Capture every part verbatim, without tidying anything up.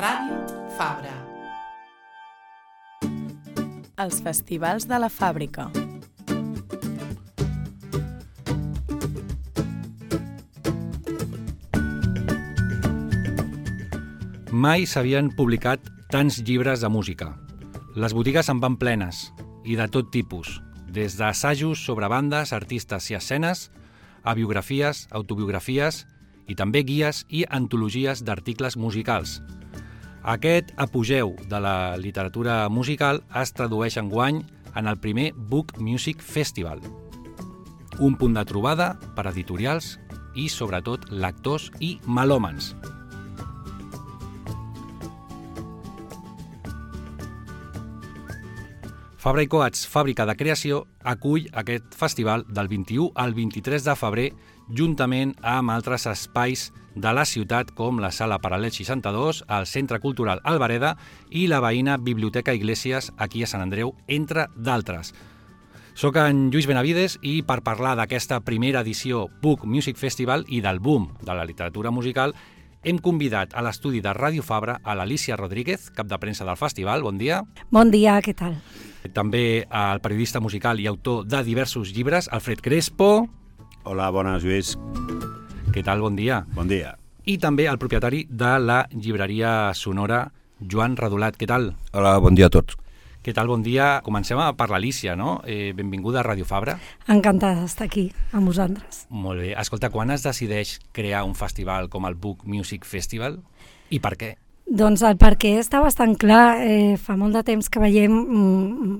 Ràdio Fabra. Els festivals de la fàbrica. Mai s'havien publicat tants llibres de música. Les botigues en van plenes, i de tot tipus, des d'assajos sobre bandes, artistes i escenes, a biografies, autobiografies i també guies i antologies d'articles musicals. Aquest apogeu de la literatura musical es tradueix enguany en el primer Book Music Festival, un punt de trobada per editorials i, sobretot, lectors i melòmans. Fabra i Coats, fàbrica de creació, acull aquest festival del vint-i-u al vint-i-tres de febrer, juntament amb altres espais de la ciutat com la Sala Paral·lel seixanta-dos, el Centre Cultural Albareda i la veïna Biblioteca Iglesias aquí a Sant Andreu, entre d'altres. Soc en Lluís Benavides i per parlar d'aquesta primera edició Book Music Festival i del boom de la literatura musical hem convidat a l'estudi de Ràdio Fabra a l'Alícia Rodríguez, cap de premsa del festival. Bon dia. Bon dia, què tal? També el periodista musical i autor de diversos llibres, Alfred Crespo. Hola, bones, Lluís. Què tal? Bon dia. Bon dia. I també el propietari de la llibreria sonora, Joan Radolat. Què tal? Hola, bon dia a tots. Què tal? Bon dia. Comencem per l'Alícia, no? Eh, benvinguda a Ràdio Fabra. Encantada d'estar aquí amb vosaltres. Molt bé. Escolta, quan es decideix crear un festival com el Book Music Festival i per què? Doncs el perquè està bastant clar. Eh, fa molt de temps que veiem mm,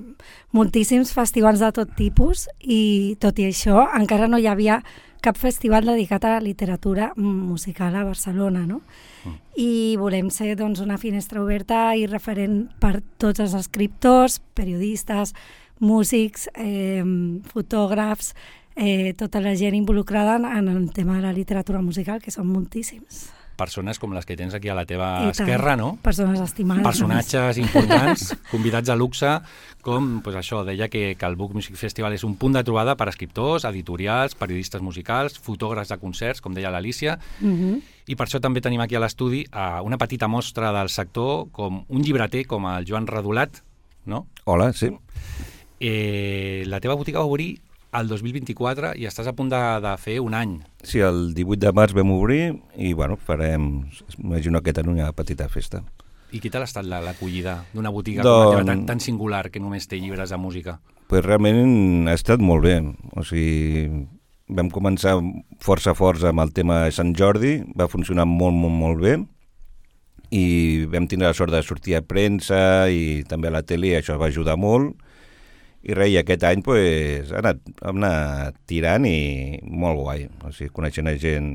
moltíssims festivals de tot tipus i, tot i això, encara no hi havia cap festival dedicat a la literatura musical a Barcelona, no? Mm. I volem ser, doncs, una finestra oberta i referent per tots els escriptors, periodistes, músics, eh, fotògrafs, eh, tota la gent involucrada en el tema de la literatura musical, que són moltíssims. Persones com les que tens aquí a la teva I esquerra, tant. no? Persones estimades. Personatges importants, convidats a luxe, com pues això, deia que, que el Book Music Festival és un punt de trobada per a escriptors, editorials, periodistes musicals, fotògrafs de concerts, com deia l'Alícia, Uh-huh. i per això també tenim aquí a l'estudi a una petita mostra del sector, com un llibreter com el Joan Radolat, no? Hola, sí. Eh, la teva botiga va obrir el dos mil vint-i-quatre i estàs a punt de, de fer un any. Sí, el divuit de març vam obrir i, bueno, farem, imagino que tenen una petita festa. I què tal ha estat l'acollida d'una botiga Don... com la teva tan, tan singular que només té llibres de música? Pues realment ha estat molt bé. O sigui, vam començar força forts amb el tema de Sant Jordi, va funcionar molt, molt, molt bé i vam tindre la sort de sortir a premsa i també a la tele, això va ajudar molt. I res, i aquest any pues, ha anat, hem anat tirant i molt guai, o sigui, coneixent gent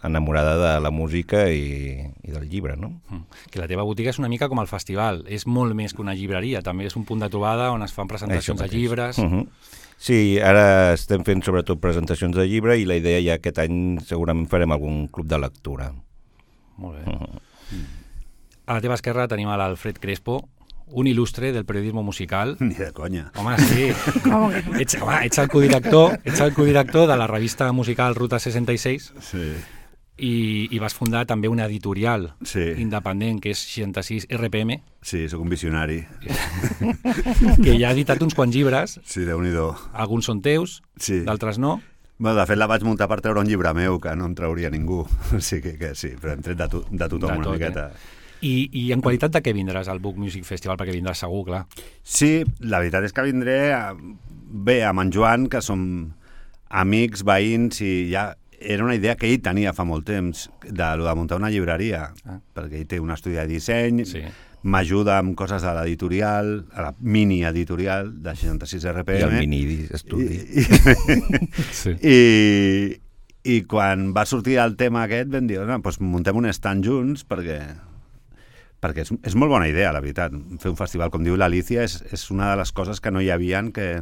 enamorada de la música i, i del llibre, no? Mm. Que la teva botiga és una mica com el festival, és molt més que una llibreria, també és un punt de trobada on es fan presentacions de llibres. Uh-huh. Sí, ara estem fent sobretot presentacions de llibre i la idea ja aquest any segurament farem algun club de lectura. Molt bé. Uh-huh. A la teva esquerra tenim a l'Alfred Crespo, un il·lustre del periodisme musical. Ni de conya. Home, sí. ets, home, ets el codirector, ets el codirector de la revista musical Ruta seixanta-sis Sí. i, i vas fundar també una editorial Sí. independent que és seixanta-sis R P M, Sí, sóc un visionari. que ja ha editat uns quants llibres, Sí, Déu-n'hi-do. alguns són teus, Sí. d'altres no. Bueno, de fet, la vaig muntar per treure un llibre meu, que no en trauria ningú. O sigui que, que sí, però hem tret de, to, de tothom De una tot, miqueta. Eh? I, I en qualitat de què vindràs al Book Music Festival? Perquè vindràs segur, clar. Sí, la veritat és que vindré a, bé amb en Joan, que som amics, veïns, i ja era una idea que ell tenia fa molt temps, de, lo de muntar una llibreria, Ah. perquè ell té un estudi de disseny, Sí. m'ajuda amb coses de l'editorial, a la mini editorial de seixanta-sis R P M. I el mini estudi. I, i, Sí. i, i quan va sortir el tema aquest vam dir, no, doncs muntem un stand junts perquè perquè és, és molt bona idea, la veritat. Fer un festival, com diu l'Alícia, és, és una de les coses que no hi havien que,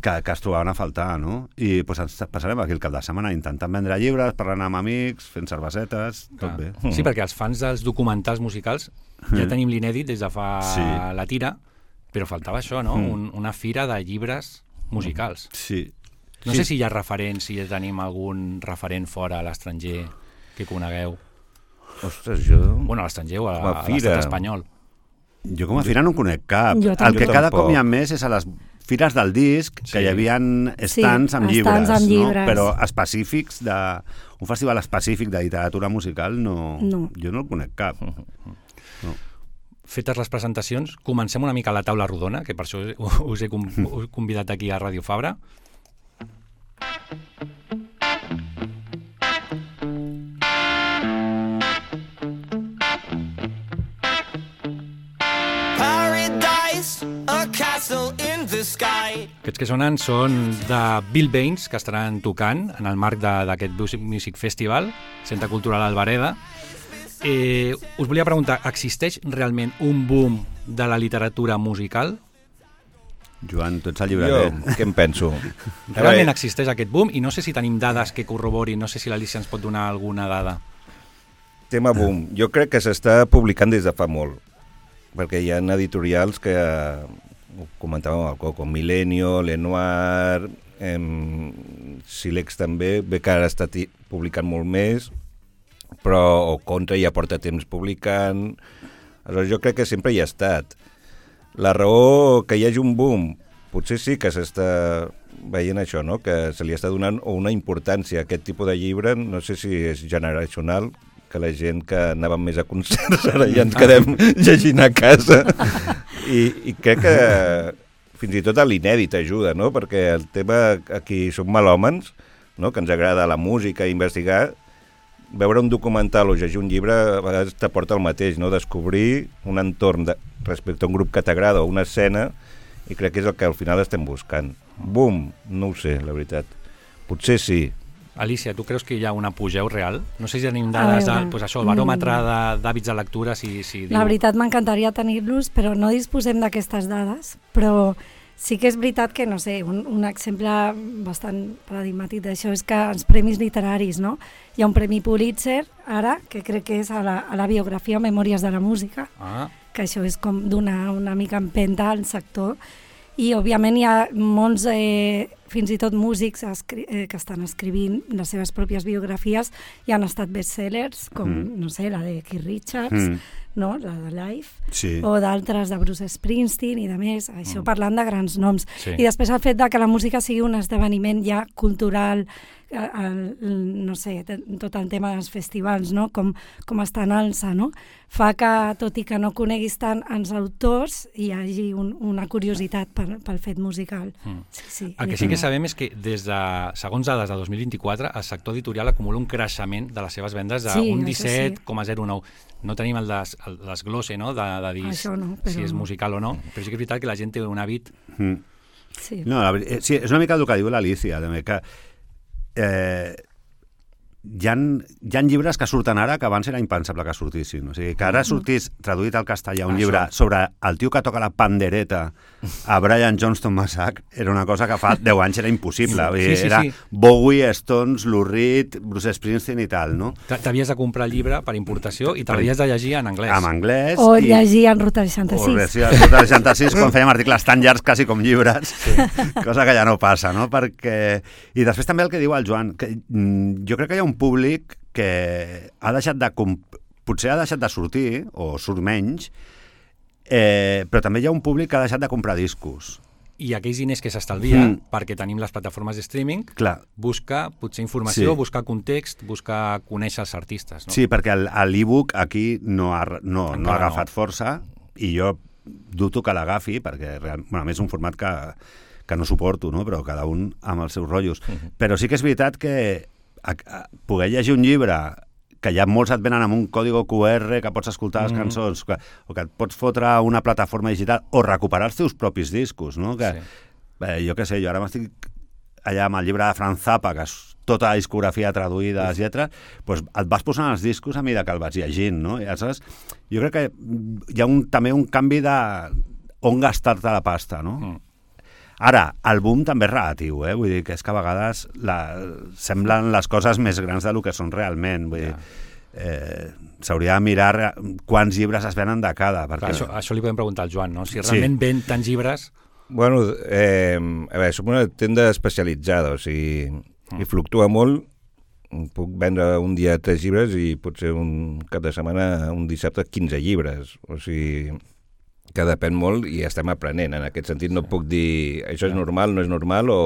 que, que es trobaven a faltar, no? I doncs, ens passarem aquí el cap de setmana intentant vendre llibres, parlant amb amics, fent cervesetes, tot Clar. bé. Sí, perquè els fans dels documentals musicals ja tenim l'inèdit des de fa Sí. la tira, però faltava això, no? Mm. Un, una fira de llibres musicals. Sí. No sí. sé si hi ha referents, si tenim algun referent fora a l'estranger que conegueu. Ostres, jo... Bueno, a l'estranger o a, Com a a fira. l'estat espanyol. Jo com a fira no en conec cap. Jo El tampoc. que Jo cada tampoc. cop hi ha més és a les fires del disc, que Sí. hi havia stands Sí, amb stands llibres, amb llibres. no? Però específics de... Un festival específic de literatura musical no, No. jo no el conec cap. No. Fetes les presentacions, comencem una mica a la taula rodona, que per això us he com- us he convidat aquí a Ràdio Fabra. Paradise, a castle in the sky. Aquests que sonen són de Bill Baines, que estaran tocant en el marc de- d'aquest Music- Music Festival, Centre Cultural Albareda. Eh, us volia preguntar, existeix realment un boom de la literatura musical? Joan, tu ets el Jo, llibreter. què em penso? Realment existeix aquest boom? I no sé si tenim dades que corroborin, no sé si l'Alicia ens pot donar alguna dada. Tema boom. Jo crec que s'està publicant des de fa molt, perquè hi ha editorials que, ho comentàvem al Coco, Milenio, Lenoir, em, Silex també, bé que ara està ti- publicant molt més, però o Contra ja porta temps publicant. Aleshores, jo crec que sempre hi ha estat. La raó que hi hagi un boom, potser sí que s'està veient això, no? Que se li està donant una importància a aquest tipus de llibre, no sé si és generacional, que la gent que anàvem més a concerts ara ja ens quedem llegint a casa. I, i crec que fins i tot a l'inèdit ajuda, no? Perquè el tema, aquí som malòmens, no? Que ens agrada la música i investigar, veure un documental o llegir un llibre a vegades t'aporta el mateix, no? Descobrir un entorn de, respecte a un grup que t'agrada o una escena, i crec que és el que al final estem buscant. Boom, no ho sé, la veritat. Potser sí. Alicia, tu creus que hi ha un apogeu real? No sé si tenim dades, veure, de, pues això, el baròmetre de- d'hàbits de lectura, si, si diu... La veritat m'encantaria tenir-los, però no disposem d'aquestes dades, però sí que és veritat que, no sé, un, un exemple bastant paradigmàtic d'això és que els premis literaris, no? Hi ha un premi Pulitzer, ara, que crec que és a la, a la biografia Memòries de la música, Ah, que això és com donar una mica empenta al sector, i òbviament hi ha molts, eh, fins i tot músics escri eh, que estan escrivint les seves pròpies biografies i han estat bestsellers, com, Mm. no sé, la de Keith Richards, Mm. no? La de Life, Sí. o d'altres de Bruce Springsteen i de més, això Mm. parlant de grans noms. sí. I després el fet de que la música sigui un esdeveniment ja cultural, eh, el, el, no sé, t- tot el tema dels festivals, no? com, com està en alça, no? Fa que, tot i que no coneguis tant els autors, hi hagi un, una curiositat pel, pel fet musical. Mm. Sí, sí, El que sí que sabem és que des de, segons dades de dos mil vint-i-quatre, el sector editorial acumula un creixement de les seves vendes Sí, d'un això disset sí. coma zero nou. No tenim el, des, el desglose, no?, de, de dir Això no, si però- és musical o no, però sí que és veritat que la gent té un hàbit... Mm. Sí. No, la, veri- eh, sí, és una mica el que diu l'Alicia, també, que eh, hi ha, hi ha llibres que surten ara que abans era impensable que sortissin. O sigui, que ara sortís traduït al castellà un Això. llibre sobre el tio que toca la pandereta a Brian Johnston Massach era una cosa que fa deu anys era impossible. Vull dir, Sí, sí, era sí. Bowie, Stones, Lou Reed, Bruce Springsteen i tal, no? T- T'havies de comprar el llibre per importació i te l'havies de llegir en anglès. En anglès. O i- llegir en Ruta O seixanta-sis. Ruta seixanta-sis, quan fèiem articles tan llargs quasi com llibres, sí. Cosa que ja no passa, no? Perquè... I després també el que diu el Joan, que mm, jo crec que hi ha un públic que ha deixat de... Comp... Potser ha deixat de sortir, o surt menys, eh, però també hi ha un públic que ha deixat de comprar discos. I aquells diners que s'estalvia, Mm. perquè tenim les plataformes de streaming, Clar, busca potser informació, Sí. buscar context, buscar conèixer els artistes. No? sí, perquè el- l'e-book aquí no ha, no, no ha Encara agafat no. força i jo dubto que l'agafi perquè real, bueno, a més és un format que, que no suporto, no? Però cada un amb els seus rotllos. Mhm. Però sí que és veritat que a, a, poder llegir un llibre que ja molts et venen amb un còdigo Q R que pots escoltar les Mhm. cançons, que, o que et pots fotre a una plataforma digital o recuperar els teus propis discos, no? Que, Sí. eh, jo què sé, jo ara m'estic allà amb el llibre de Franz Zappa, que és tota la discografia traduïda, les lletres, doncs et vas posant els discos a mesura que el vas llegint, no? I aleshores, jo crec que hi ha un, també un canvi de on gastar-te la pasta, no? Mm. Ara, el boom també és relatiu, eh? Vull dir que és que a vegades la, semblen les coses més grans del que són realment. Vull dir, Ja. eh, s'hauria de mirar re- quants llibres es venen de cada. Perquè... Clar, això, això li podem preguntar al Joan, no? Si Sí. realment ven tants llibres... Bueno, eh, a veure, som una tenda especialitzada, o sigui, Mm. i fluctua molt puc vendre un dia tres llibres i potser un cap de setmana, un dissabte, quinze llibres. O sigui, que depèn molt i estem aprenent. En aquest sentit no puc dir això és normal, no és normal, o...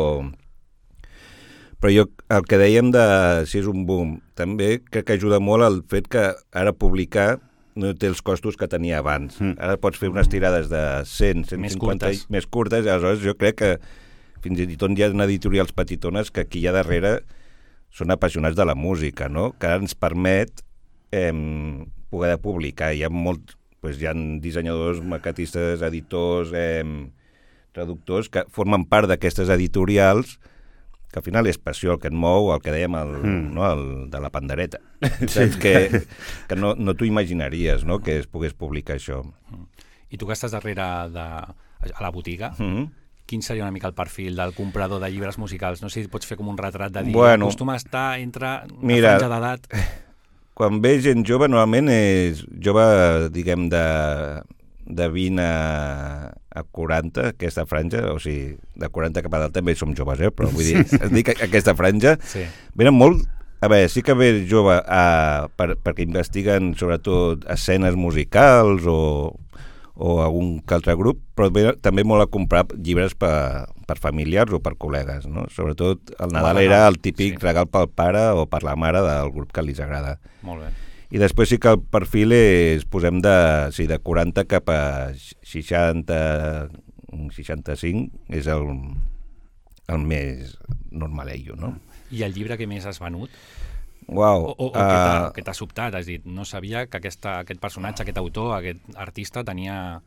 Però jo, el que dèiem de si és un boom, també crec que ajuda molt el fet que ara publicar no té els costos que tenia abans. Mm. Ara pots fer unes tirades de cent, cent cinquanta més curtes, més curtes i aleshores jo crec que fins i tot hi ha editorials petitones que aquí hi ha darrere són apassionats de la música, no? Que ara ens permet eh, poder publicar. Hi ha molt... Pues hi ha dissenyadors, maquetistes, editors, eh, traductors que formen part d'aquestes editorials que al final és passió el que et mou, el que dèiem el, mm. no, el de la pandereta. Sí. Que, que no, no t'ho imaginaries, no?, que es pogués publicar això. I tu que estàs darrere de, a la botiga, mm-hmm. quin seria una mica el perfil del comprador de llibres musicals? No sé si pots fer com un retrat de dir, bueno, acostuma a estar entre una mira, franja d'edat... Quan ve gent jove, normalment és jove, diguem, de, de vint a, a quaranta, aquesta franja, o sigui, de quaranta cap a dalt també som joves, eh? Però vull dir, dic aquesta franja, sí. Venen molt, a veure, sí que ve jove a, per, perquè investiguen sobretot escenes musicals o, o algun que altre grup, però ve també molt a comprar llibres per, per familiars o per col·legues, no? Sobretot el Nadal era el típic sí. regal pel pare o per la mare del grup que els agrada. Molt bé. I després sí que el perfil és, posem de, sí, de quaranta cap a seixanta, seixanta-cinc, és el, el més normalello, no? I el llibre que més has venut? Uau, o o, o uh, que t'ha sobtat, has dit, no sabia que aquesta, aquest personatge, aquest autor, aquest artista tenia...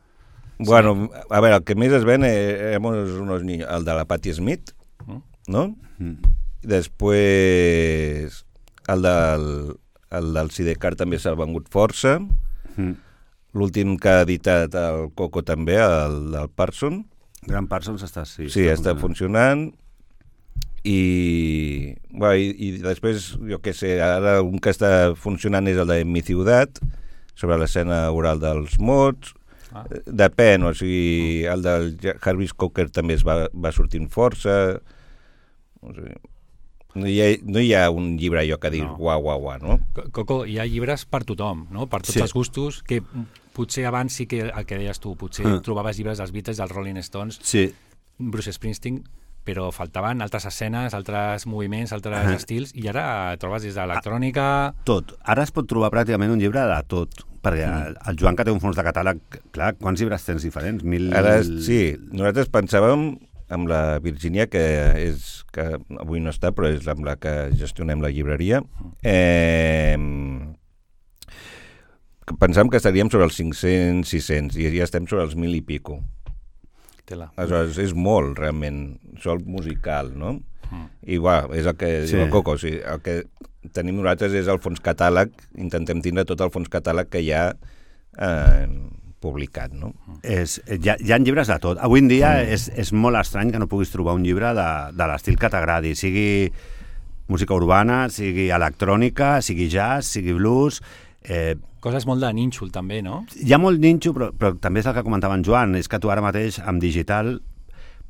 Bueno, a veure, el que més es ven és unos niños, el de la Patti Smith, mm. no? Mm. Després el del, el del Sidecar també s'ha vengut força, mm. l'últim que ha editat el Coco també, el del Parson. Gran Parsons està, sí. Sí, està, està funcionant. I, bueno, i, i després, jo què sé, ara un que està funcionant és el de Mi Ciutat, sobre l'escena oral dels mots. Ah. Depèn, o sigui, el del Jarvis Cocker també es va, va sortint força. O sigui, no, hi ha, no hi ha un llibre allò que dir no. uau, uau, uau, no? Coco, hi ha llibres per tothom, no? Per tots sí. els gustos, que potser abans sí que el que deies tu, potser mm. trobaves llibres dels Beatles, dels Rolling Stones, sí. Bruce Springsteen, però faltaven altres escenes, altres moviments, altres uh-huh. estils, i ara trobes des d'electrònica... Tot. Ara es pot trobar pràcticament un llibre de tot, perquè mm. el Joan, que té un fons de catàleg, clar, quants llibres tens diferents? Mil... Ara, sí, nosaltres pensàvem amb la Virgínia, que és que avui no està, però és amb la que gestionem la llibreria, eh, pensàvem que estaríem sobre els cinc-cents, sis-cents, i ja estem sobre els mil i pico. Aleshores, és molt, realment, sol musical, no? Mm. I, va, és el que sí. diu el Coco, o sigui, el que tenim nosaltres és el fons catàleg, intentem tindre tot el fons catàleg que hi ha eh, publicat, no? És, hi, ha, hi ha llibres de tot. Avui en dia mm. és, és molt estrany que no puguis trobar un llibre de, de l'estil que t'agradi, sigui música urbana, sigui electrònica, sigui jazz, sigui blues... Eh, Coses molt de nínxol, també, no? Hi ha molt nínxol, però, però també és el que comentava en Joan, és que tu ara mateix, amb digital,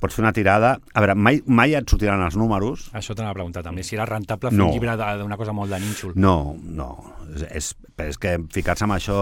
pots fer una tirada... A veure, mai, mai et sortiran els números. Això t'anava a preguntar també, si era rentable fer no. un llibre d'una cosa molt de nínxol. No, no. És, és que ficar-se en això,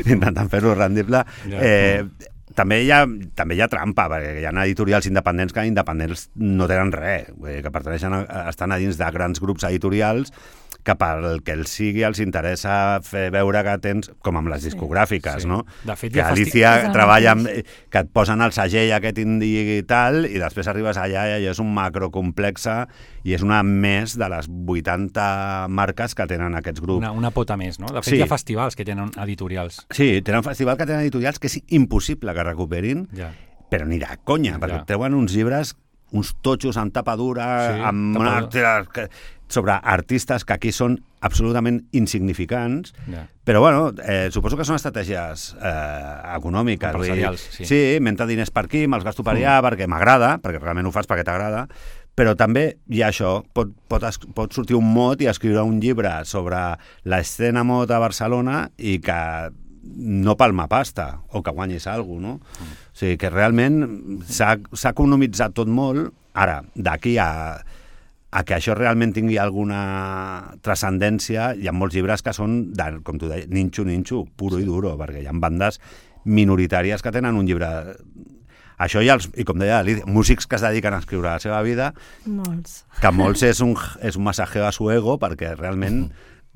intentant fer-ho rendible... Ja. Eh, també hi, ha, també hi ha trampa, perquè hi ha editorials independents que independents no tenen res, que pertaneixen a, estan a dins de grans grups editorials que pel que els sigui els interessa fer veure que tens, com amb les discogràfiques, sí. no? De fet, que Alicia festi... treballa amb, que et posen el segell aquest indie i tal, i després arribes allà i és un macro complexa i és una més de les vuitanta marques que tenen aquests grups. Una, una pota més, no? De fet, sí. hi ha festivals que tenen editorials. Sí, tenen festivals que tenen editorials que és impossible que recuperin, ja. però ni de conya, perquè ja. treuen uns llibres, uns totxos amb tapa dura, sí, amb tapadura. Una... sobre artistes que aquí són absolutament insignificants, yeah. però bueno, eh, suposo que són estratègies eh, econòmiques. Empresarials, sí. Sí, mentre diners per aquí, me'ls gasto per allà, mm. perquè m'agrada, perquè realment ho fas perquè t'agrada, però també hi ha això, pot, pot, pot sortir un mot i escriure un llibre sobre l'escena mod a Barcelona i que no palma pasta, o que guanyis alguna cosa, no? Mm. O sigui, que realment s'ha economitzat tot molt. Ara, d'aquí a... a que això realment tingui alguna transcendència, hi ha molts llibres que són, de, com tu deies, ninxo, ninxo, puro sí. i duro, perquè hi ha bandes minoritàries que tenen un llibre... Això i, els, i com deia, músics que es dediquen a escriure la seva vida, molts. que molts és un, és un massajeo a su ego, perquè realment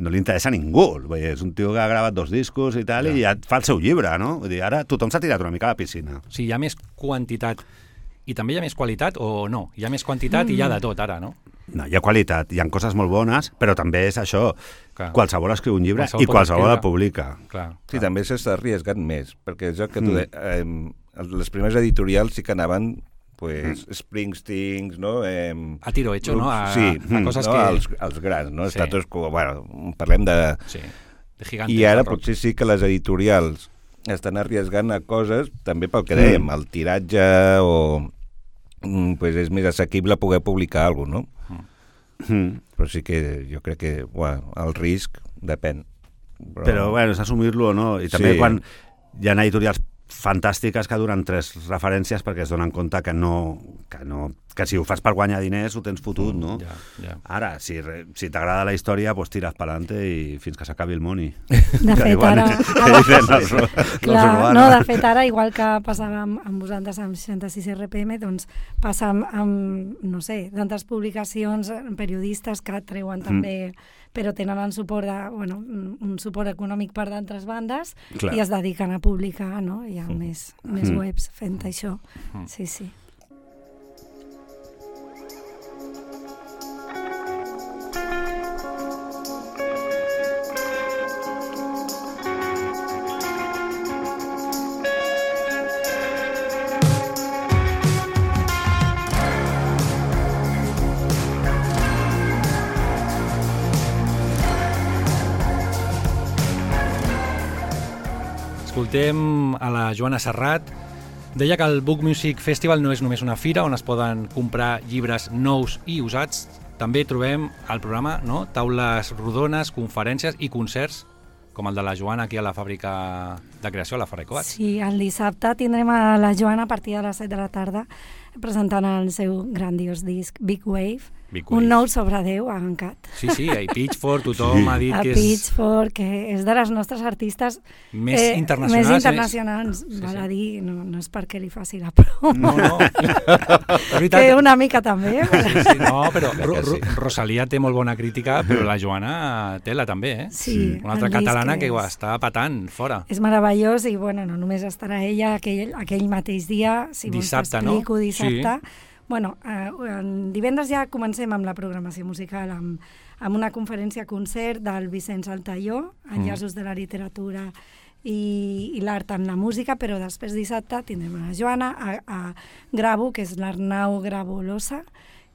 no li interessa a ningú. Vull dir, és un tio que ha gravat dos discos i tal, ja. i ja fa el seu llibre, no? Vull dir, ara tothom s'ha tirat una mica a la piscina. Sí, hi ha més quantitat i també hi ha més qualitat o no? Hi ha més quantitat mm. i hi ha de tot ara, no? No, hi ha qualitat, hi ha coses molt bones, però també és això, clar. Qualsevol escriu un llibre Qualsevol i qualsevol el publica. Clar, Sí, clar. també s'està arriesgant més, perquè és el que tu Mm. de, eh, les primeres editorials sí que anaven pues, mm. Springsteen, no? Eh, A tiro hecho, no? A, sí, a coses no? que... als, als grans, no? Sí. Status quo, bueno, parlem de... Sí, de gigantes. I ara de rock. potser sí que les editorials estan arriesgant a coses, també pel que dèiem, Mm. el tiratge o... Pues és més assequible poder publicar alguna cosa, no? Mm. Però sí que jo crec que bueno, el risc depèn. Però, Però bueno, és assumir-lo o no. I també Sí. quan hi ha editorials fantàstiques que duren tres referències perquè es donen compte que no, que no que si ho fas per guanyar diners ho tens fotut, no? Ja, ja. Ara, si, re- si t'agrada la història, pues tires pa'lante i fins que s'acabi el money. De Que fet, diuen- ara... que dicen els, els Clar, urbanos. no, de fet, ara, igual que passava amb, amb vosaltres amb seixanta-sis R P M, doncs passa amb, amb no sé, tantes publicacions, periodistes que treuen també, però tenen el suport de, bueno, un suport econòmic per d'altres bandes Clar. i es dediquen a publicar, no? Hi ha més, més Mm. webs fent això. Sí, sí. Escoltem a la Joana Serrat. Deia que el Book Music Festival no és només una fira on es poden comprar llibres nous i usats. També trobem al programa, no?, taules rodones, conferències i concerts, com el de la Joana aquí a la fàbrica de creació, a la Ferrer Coats. Sí, el dissabte tindrem a la Joana a partir de les set de la tarda presentant el seu grandiós disc Big Wave, Big Wave. un nou sobre Déu a Ancat. Sí, sí, i Pitchfork, tothom Sí. ha dit A que és Pitchfork, que és de les nostres artistes més eh, internacionals. més internacionals, Sí, val sí. a dir, no, no és perquè li faci la promo, No, no. És veritat. que una mica també. Sí, sí, no, però Ro que sí. Ro Rosalia té molt bona crítica, però la Joana té la també, eh? Sí, Una altra el disc catalana que ho és- està patant fora. És meravellós i bueno, no només estarà ella aquell, aquell mateix dia, si Dissabte, vols no? t'explico, dissabte. Sí. Bueno, eh, en divendres ja comencem amb la programació musical, amb, amb una conferència-concert del Vicenç Altaió, Enllaços de la literatura i, i l'art en la música, però després dissabte tindrem a la Joana, a, a Gravo, que és l'Arnau Gravolosa,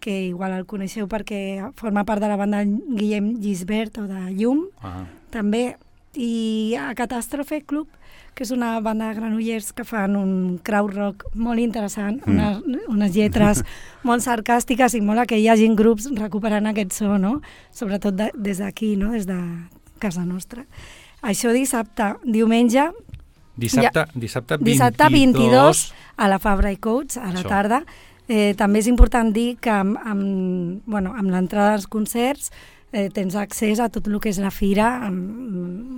que igual el coneixeu perquè forma part de la banda Guillem Gisbert o de Llum, Ah. també, i a Catàstrofe Club, que és una banda de granollers que fan un crowd rock molt interessant, Mm. unes, unes lletres molt sarcàstiques i molt a que hi hagin grups recuperant aquest so, no? Sobretot de, des d'aquí, no? Des de casa nostra. Això dissabte. Diumenge, Dissabte, dissabte, dissabte vint-i-dos a la Fabra i Coats, a la Això. tarda. Eh, també és important dir que amb, amb, bueno, amb l'entrada als concerts eh, tens accés a tot el que és la fira, amb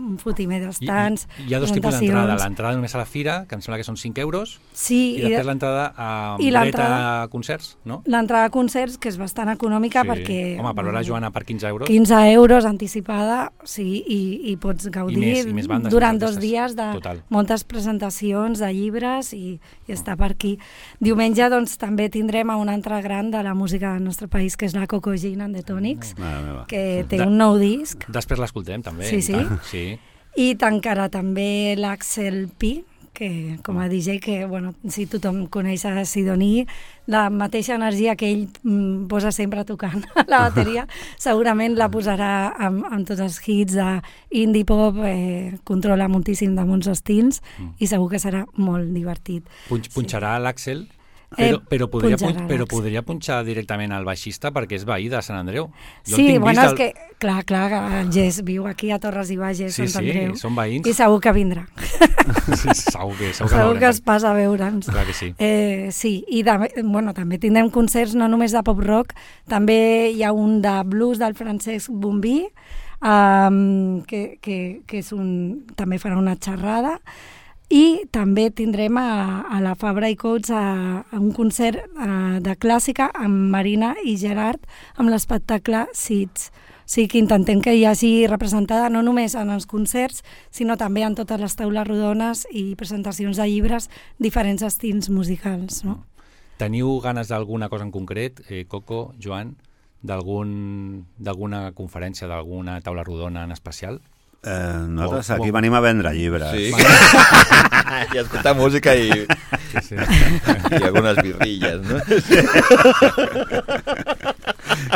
un fotimer dels I, tants, i, hi ha dos tipus d'entrada. presentacions. L'entrada només a la fira, que em sembla que són cinc euros, Sí, i després l'entrada a i dret l'entrada- a concerts, no? l'entrada a concerts, que és bastant econòmica Sí. perquè... Home, per veure la Joana per quinze euros. quinze euros anticipada, sí, i, i pots gaudir I més- i més bandes, durant més dos artistes. dies de Total. moltes presentacions de llibres i, i està per aquí. Diumenge doncs, també tindrem a una altra gran de la música del nostre país, que és la Coco Jean and the Tonics, Mare meva. que té De- un nou disc, Després l'escoltem, també. Sí, i sí. tant, sí. i tancarà també l'Axel Pi, que com a D J, que bueno, si tothom coneix a Sidoní, la mateixa energia que ell mm, posa sempre tocant a la bateria, segurament la posarà amb, amb tots els hits d'indie pop, eh, controla moltíssim de molts estils Mm. i segur que serà molt divertit. Punx, punxarà l'Àxel Però, eh, però, podria, punxarà pun però l'Àlex. podria punxar directament al baixista perquè és veí de Sant Andreu. Jo el Sí, tinc bueno, vist és que, clar, clar, el Gés viu aquí a Torres i Bages, Sí, Sant sí, Andreu. són veïns. I segur que vindrà. Sí, segur que, segur que, Segur l'haurem que es fet. passa a veure'ns. Clar que sí. Eh, sí, i de, bueno, també tindrem concerts no només de pop-rock, també hi ha un de blues del Francesc Bombí, um, que, que, que és un, també farà una xerrada, i també tindrem a, a la Fabra i Coats a, a un concert a, de clàssica amb Marina i Gerard amb l'espectacle Seeds. O sigui que intentem que hi hagi representada no només en els concerts, sinó també en totes les taules rodones i presentacions de llibres, diferents estils musicals. No? Teniu ganes d'alguna cosa en concret, eh, Coco, Joan, d'alguna conferència, d'alguna taula rodona en especial? Eh, nosaltres Bo- aquí bo- venim a vendre llibres. Sí. I escoltar música i, Sí, sí. i algunes birrilles, no?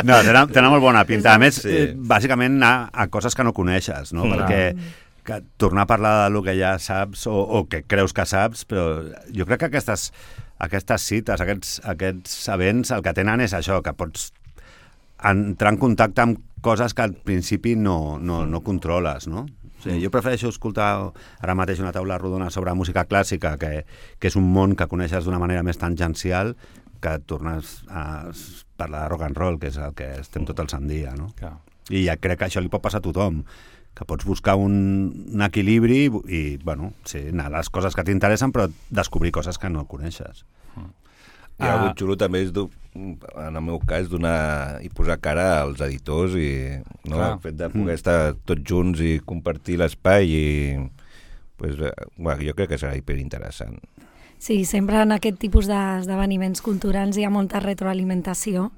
No, tenen, tenen molt bona pinta. A més, Sí. eh, bàsicament anar a coses que no coneixes, no? Mm. Perquè que tornar a parlar del que ja saps o, o que creus que saps, però jo crec que aquestes, aquestes cites, aquests, aquests events, el que tenen és això, que pots entrar en contacte amb coses que al principi no, no, no controles, no? O sigui, jo prefereixo escoltar ara mateix una taula rodona sobre música clàssica, que, que és un món que coneixes d'una manera més tangencial, que tornes a parlar de rock and roll, que és el que estem tot el sant dia, no? Clar. I ja crec que això li pot passar a tothom, que pots buscar un, un equilibri i, i, bueno, sí, anar a les coses que t'interessen, però descobrir coses que no coneixes. I Ah. el xulo també és, du- en el meu cas, donar i posar cara als editors i no? Clar. El fet de poder estar tots junts i compartir l'espai i pues, eh, bueno, jo crec que serà hiperinteressant. Sí, sempre en aquest tipus d'esdeveniments culturals hi ha molta retroalimentació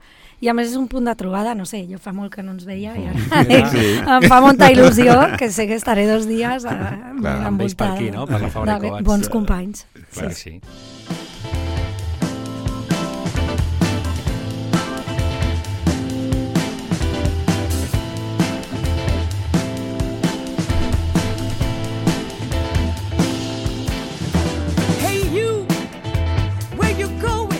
i a més és un punt de trobada, no sé, jo fa molt que no ens veia i ara Sí. em fa molta il·lusió que sé que estaré dos dies eh, ben amb ells per envoltada aquí, no? Per la Fabra i de Coats. bons companys. Clar que sí. Hey you, where you going?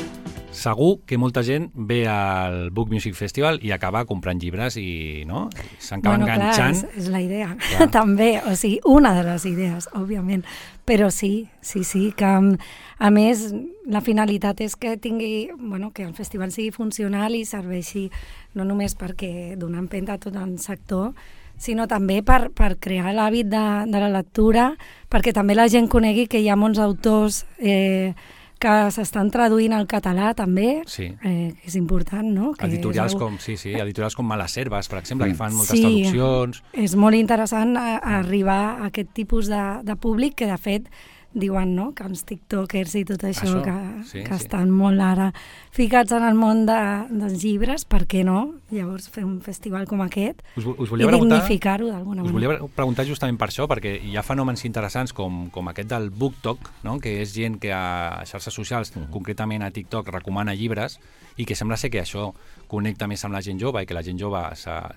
Segur que molta gent ve al Book Music Festival i acaba comprant llibres i no? S'acaba Bueno, clar, enganxant. és, és la idea, Clar. també, o sigui, una de les idees, òbviament, però sí, sí, sí, que mm, a més la finalitat és que tingui, bueno, que el festival sigui funcional i serveixi no només perquè donar empenta a tot el sector, sinó també per, per crear l'hàbit de, de la lectura, perquè també la gent conegui que hi ha molts autors eh, que s'estan traduint al català també, Sí. eh, que és important, no? Que Editorials és algo- com, sí, sí, editorials com Malaserves, per exemple, que fan moltes Sí. traduccions. És molt interessant a, a arribar a aquest tipus de, de públic que, de fet, diuen no? que els tiktokers i tot això, Això, que, sí, que sí. estan molt ara ficats en el món de, dels llibres, per què no? Llavors fer un festival com aquest Us, us i volia preguntar... dignificar-ho d'alguna Us manera. volia preguntar justament per això, perquè hi ha fenòmens interessants com, com aquest del BookTok, no? Que és gent que a xarxes socials, concretament a TikTok, recomana llibres i que sembla ser que això connecta més amb la gent jove i que la gent jove s'ha-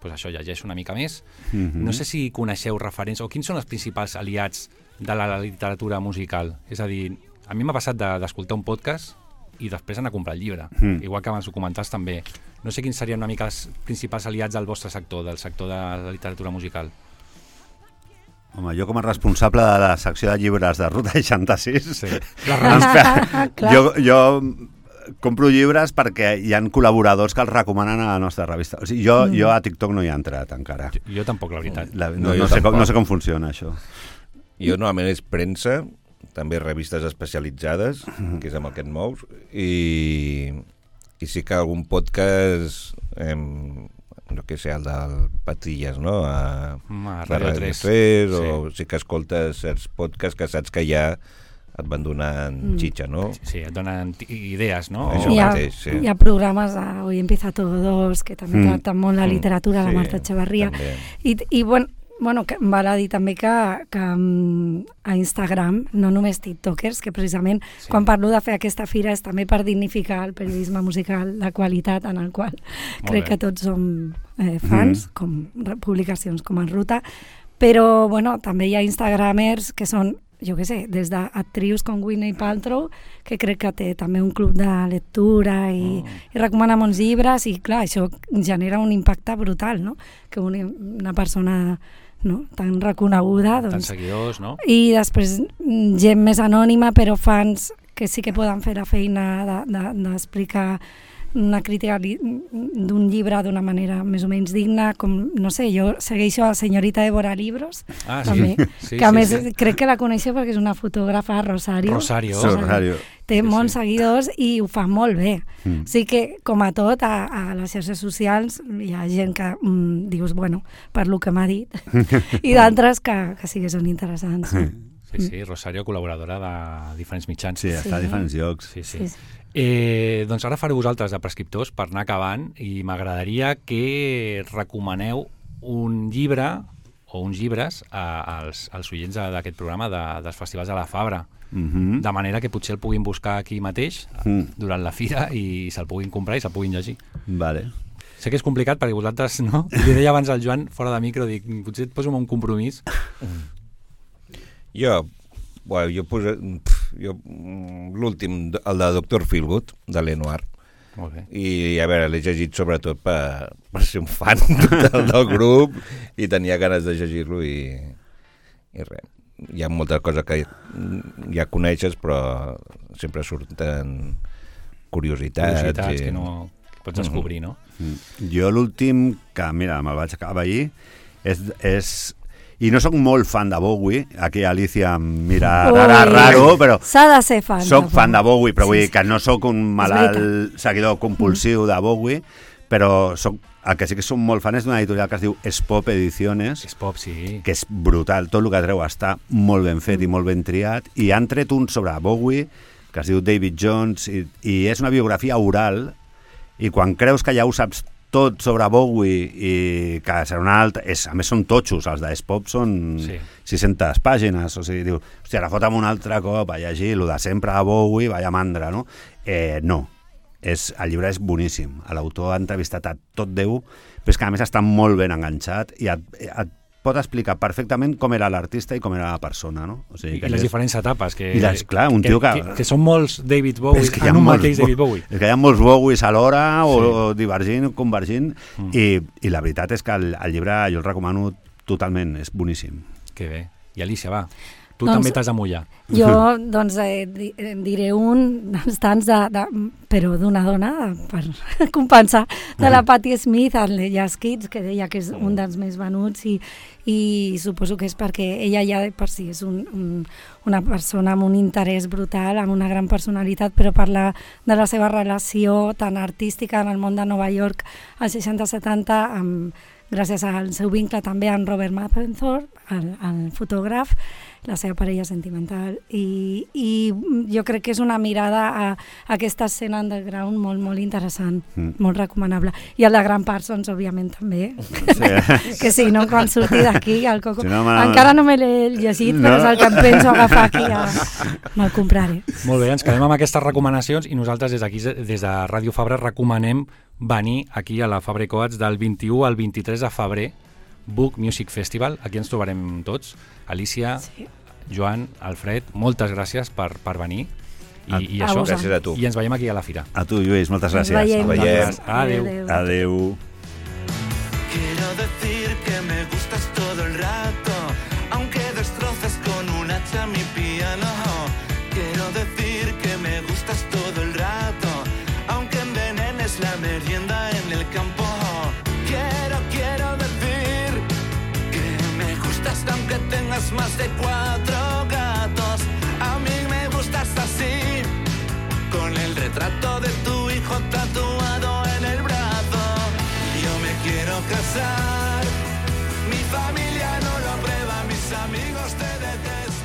pues això llegeix una mica més. Mhm. No sé si coneixeu referents o quins són els principals aliats de la literatura musical. És a dir, a mi m'ha passat de- d'escoltar un podcast i després anar a comprar el llibre. Mm. Igual que abans ho comentaves també. No sé quins serien una mica els principals aliats del vostre sector, del sector de la literatura musical. Home, jo com a responsable de la secció de llibres de Ruta seixanta-sis, Sí. ens fe- Clar. jo, jo compro llibres perquè hi han col·laboradors que els recomanen a la nostra revista. O sigui, jo, mm. jo a TikTok no hi he entrat encara. Jo, jo tampoc, la veritat. La, no, No, no, jo sé com, tampoc. no sé com funciona això. Jo normalment és premsa, també revistes especialitzades, que és amb el que et mous, i, i sí que algun podcast, eh, no què sé, el del Patilles, no? A, Mm, a a Radio tres. tres, Sí. o sí que escoltes certs podcasts que saps que ja et van donant Mm. xitxa, no? Sí, et donen ti- idees, no? Això Hi ha, mateix, sí. hi ha programes de Hoy empieza todo dos, que també Mm. tracten molt la Mm. literatura, la Sí, Marta Echevarria. també. I, i bueno, bueno, que val a dir també que, que um, a Instagram, no només tiktokers, que precisament Sí. sí. quan parlo de fer aquesta fira és també per dignificar el periodisme musical de qualitat en el qual crec bé. que tots som eh, fans, Mhm. com re- publicacions com en Ruta, però bueno, també hi ha instagramers que són jo què sé, des d'actrius com Gwyneth Paltrow, que crec que té també un club de lectura i, oh. i recomana molts llibres, i clar, això genera un impacte brutal, no? Que una, una persona no? tan reconeguda... Doncs, tants seguidors, no? I després gent més anònima, però fans que sí que poden fer la feina d'explicar de, de, una crítica d'un llibre d'una manera més o menys digna, com, no sé, jo segueixo a Senyorita Évora Libros, ah, també, sí. Sí, que a sí, més sí. crec que la coneixeu perquè és una fotògrafa, Rosario. Rosario. Rosario. Té Sí, molts sí. seguidors i ho fa molt bé. Mm. O sigui que, com a tot, a, a les xarxes socials hi ha gent que mm, dius, bueno, per lo que m'ha dit, i d'altres que, que sí que són interessants. Sí, sí, Rosario, col·laboradora de diferents mitjans. Sí, està a Sí. diferents llocs. Sí, sí. Sí, sí. Eh, doncs ara faré vosaltres de prescriptors per anar acabant, i m'agradaria que recomaneu un llibre o uns llibres a, als, als oients d'aquest programa de, dels festivals de la Fabra, Mm-hmm. de manera que potser el puguin buscar aquí mateix Mm. durant la fira i se'l puguin comprar i se'l puguin llegir. Vale. Sé que és complicat perquè vosaltres, no? Li deia abans al Joan, fora de micro, dic, potser et poso un compromís. Jo, bueno, jo posa, pf, jo mm, l'últim, el de Doctor Feelgood, de Lenoir, Molt bé. i a veure, l'he llegit sobretot per, per ser un fan del, del grup i tenia ganes de llegir-lo i, i res. Hi ha moltes coses que ja coneixes, però sempre surten curiositats. Curiositats i... que no que pots descobrir, no? Mm. Jo l'últim, que mira, me'l vaig acabar ahir, és, és... I no sóc molt fan de Bowie, aquí Alicia em mira rara, Ui. raro, però S'ha de ser fan. soc fan de Bowie, però Sí, vull sí. dir que no sóc un malalt seguidor compulsiu de Bowie, però soc, el que sí que som molt fan és d'una editorial que es diu Spop Ediciones, És pop, sí. que és brutal, tot el que treu està molt ben fet i molt ben triat, i han tret un sobre Bowie que es diu David Jones, i, i és una biografia oral, i quan creus que ja ho saps tot sobre Bowie i que serà una altra... És, a més són totxos, els d'Spop són Sí. sis-centes pàgines, o sigui, diu, hòstia, ara fota'm un altre cop a llegir el de sempre a Bowie, vaya mandra, no? Eh, no, és, el llibre és boníssim, l'autor ha entrevistat a tot Déu, però és que a més està molt ben enganxat i et, et pot explicar perfectament com era l'artista i com era la persona, no? O sigui, I, que I les és- diferents etapes. Que, I les- clar, un tio que- que... Que són molts David Bowie, És que hi ha en un molts mateix Bo- David Bowie. És que hi ha molts Bowies alhora, o, Sí. o divergint, o convergint, Mm. i, i la veritat és que el, el llibre jo el recomano totalment, és boníssim. Que bé. I Alicia, va, tu Doncs- també t'has de mullar. Jo, doncs, eh, di- eh, diré un dels tants, de, de, però d'una dona, per compensar, de la Patti Smith, el Jazz Kids, que deia que és un dels més venuts, i, i suposo que és perquè ella ja de per si és un, un, una persona amb un interès brutal, amb una gran personalitat, però parla de la seva relació tan artística en el món de Nova York als seixanta setanta, amb, gràcies al seu vincle també amb Robert Mapplethorpe, el, el fotògraf, la seva parella sentimental, i, i jo crec que és una mirada a, a aquesta escena underground molt, molt interessant, Mm. molt recomanable. I el de Grant Parsons, òbviament, també. Sí. Que si no, quan surti d'aquí, el Coco... Si no, me- Encara no me l'he llegit, No. però és el que em penso agafar aquí, ja me'l compraré. Molt bé, ens quedem amb aquestes recomanacions i nosaltres des d'aquí, des de Ràdio Fabra, recomanem venir aquí a la Fabra i Coats del vint-i-u al vint-i-tres de febrer, Book Music Festival. Aquí ens trobarem tots. Alicia, Sí. Joan, Alfred, moltes gràcies per, per venir. I, A- i a això, vosaltres. Gràcies a tu. i ens veiem aquí a la fira. A tu, Lluís, moltes Ens gràcies. veiem. Veiem. Adéu. Adéu. Quiero decir que me gustas todo el rato, aunque destroces con un hacha mi piano. Quiero decir que me gustas todo el rato, aunque envenenes la merienda en el campo. Quiero, quiero decir que me gustas aunque tengas más de cuatro gatos. A mí me gustas así, con el retrato de tu hijo tatuado en el brazo. Yo me quiero casar, mi familia no lo aprueba, mis amigos te detestan.